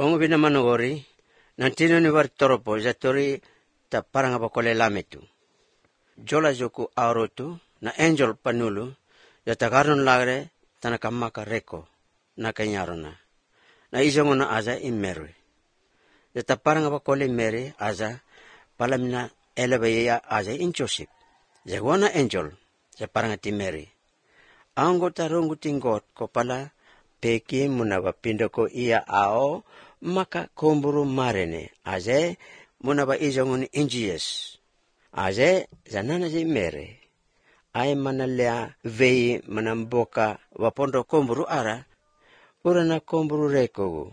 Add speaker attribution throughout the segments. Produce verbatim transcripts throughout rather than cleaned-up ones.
Speaker 1: Ongo binamanogori, nantino ni war toropo, zatori ta parang apakole lametu. Jola joku aurotu, na angel panulu, yata karnon lagre, tanakamaka reko, na kanyarona. Na isongo na aza imerwe. Yata parang apakole mere, aza, palamina elebeya aza in Joseph. Zagwana angel, sa parang ati Mary. Anggo tarungu tinggot ko pala, peki munaba pindo ko iya ao, maka kumburu marene, aze munaba izongun injies. Aze zanana zi mere. Ay manalea vei manamboka wapondo kumburu ara, urana kumburu rekogu.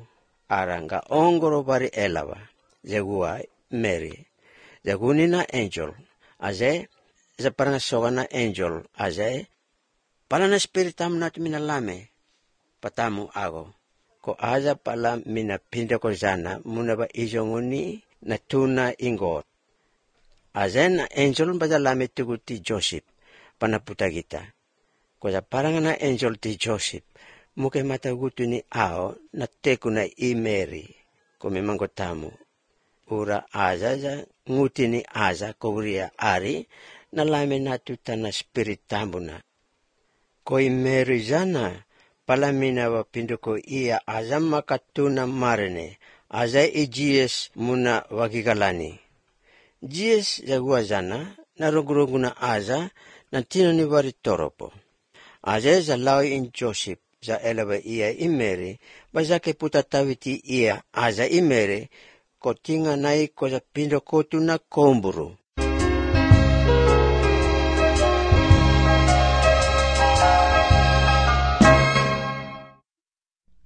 Speaker 1: Ara nga ongoro bari elawa. Zagua Mary. Zagunina angel. Aze za parang sogana angel. Aze palana spiritam nat minalame. Patamu ago. Ko aza pala mina pinda ko zana munaba izonguni na tuna ingot. Azen angel badalame tuguti Joseph panaputa kita. Ko za parang na angel ti Joseph muke matagutu ni ao na teku na i Mary ko memang tamu. Ura aza za nguti ni aza kouria ari na lame na tuta na spirit tambuna. Ko i Mary zana palamina wa pinduko iya aza makatuna marene, aza i Gs muna wagigalani. Gs zagua zana, na roguroguna aza, na tino ni wari toropo. Aza za lawi in Joseph, za elewa iya i Mary, bazake putatawiti iya aza i Mary, ko tinga nai ko za pindoko tuna komburu.